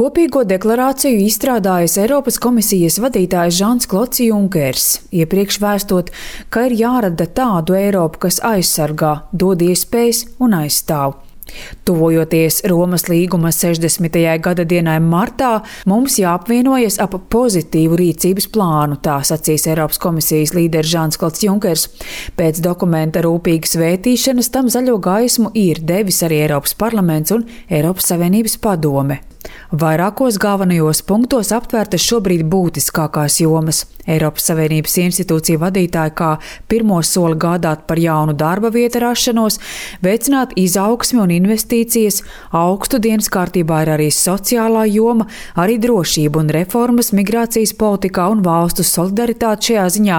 Kopīgo deklarāciju izstrādājis Eiropas komisijas vadītājs Žans-Klods Junkers, iepriekš vēstot, ka ir jārada tādu Eiropu, kas aizsargā, dod iespējas un aizstāv. Tuvojoties Romas līguma 60. gada dienai martā, mums jāapvienojas ap pozitīvu rīcības plānu, tā sacīs Eiropas komisijas līderis Žans-Klods Junkers. Pēc dokumenta rūpīgas vētīšanas tam zaļo gaismu ir devis arī Eiropas parlaments un Eiropas Savienības padome. Vairākos galvenajos punktos aptvērtas šobrīd būtiskākās jomas. Eiropas Savienības institūciju vadītāji kā pirmo soli gādāt par jaunu darba vietu rašanos, veicināt izaugsmi un investīcijas, augstu dienas kārtībā ir arī sociālā joma, arī drošība un reformas migrācijas politikā un valstu solidaritāte šajā ziņā,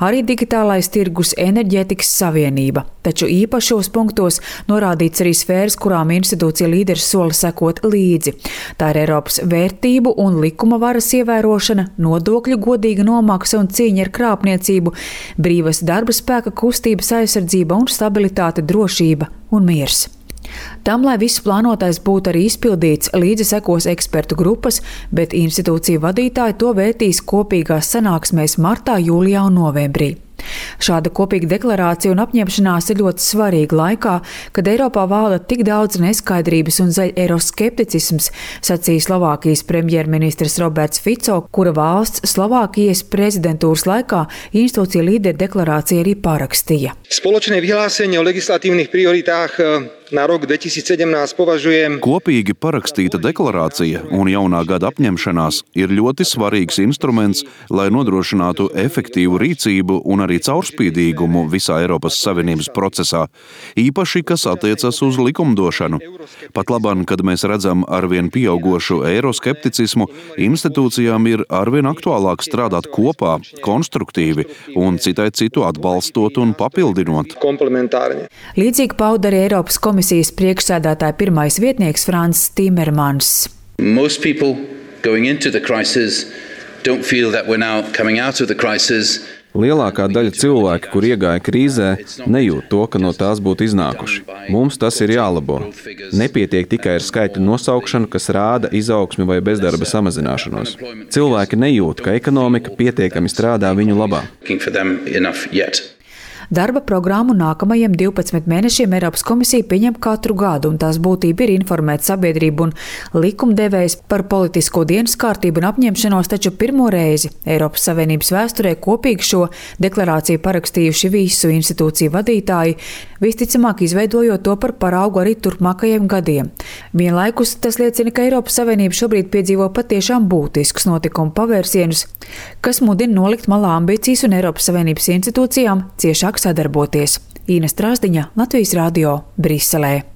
arī digitālais tirgus enerģētikas savienība. Taču īpašos punktos norādīts arī sfēras, kurām institūcija līderis sola sekot līdzi. Tā ir Eiropas vērtību un likuma varas ievērošana, nodokļu godīga nomaksa un cīņa ar krāpniecību, brīvas darba spēka kustības aizsardzība un stabilitāte, drošība un miers. Tam, lai viss plānotais būtu arī izpildīts, līdzi sekos ekspertu grupas, bet institūciju vadītāji to vērtīs kopīgās sanāksmēs martā, jūlijā un novembrī. Šāda kopīga deklarācija un apņemšanās ir ļoti svarīga laikā, kad Eiropā valda tik daudz neskaidrības un eiroskepticisms, sacīja Slovākijas premjerministrs Roberts Fico, kura valsts Slovākijas prezidentūras laikā institūcija līderi deklarācija arī parakstīja. Spoločné vyhlásenie o legislatívnych prioritách na rok 2017 považujem. Kopīgi parakstīta deklarācija un jaunā gada apņemšanās ir ļoti svarīgs instruments, lai nodrošinātu efektīvu rīcību un arī caurspīdīgumu visā Eiropas Savienības procesā, īpaši, kas attiecas uz likumdošanu. Pat labāk, kad mēs redzam arvien pieaugošu eiroskepticismu, institūcijām ir arvien aktuālāk strādāt kopā, konstruktīvi un citai citu atbalstot un papildinot. Līdzīgi pauda arī Eiropas komisijas priekšsēdētāja pirmais vietnieks Frans Timermans. Most people going into the crisis don't feel that we're now coming out of the crisis. Lielākā daļa cilvēki, kur iegāja krīzē, nejūt to, ka no tās būtu iznākuši. Mums tas ir jālabo. Nepietiek tikai ar skaitļu nosaukšanu, kas rāda izaugsmi vai bezdarba samazināšanos. Cilvēki nejūt, ka ekonomika pietiekami strādā viņu labā. Darba programmu nākamajiem 12 mēnešiem Eiropas komisija pieņem katru gadu, un tās būtība ir informēt sabiedrību un likumdevējs par politisko dienas kārtību un apņemšanos, taču pirmo reizi Eiropas Savienības vēsturē kopīgi šo deklarāciju parakstījuši visu institūciju vadītāji, visticamāk izveidojot to par paraugu arī turpmākajiem gadiem. Vienlaikus tas liecina, ka Eiropas Savienība šobrīd piedzīvo patiešām būtiskus notikumu pavērsienus, kas mudina nolikt malā ambīcijas un Eiropas Savienības institūcijām ciešāk sadarboties. Īna Strāzdiņa, Latvijas Radio, Briselē.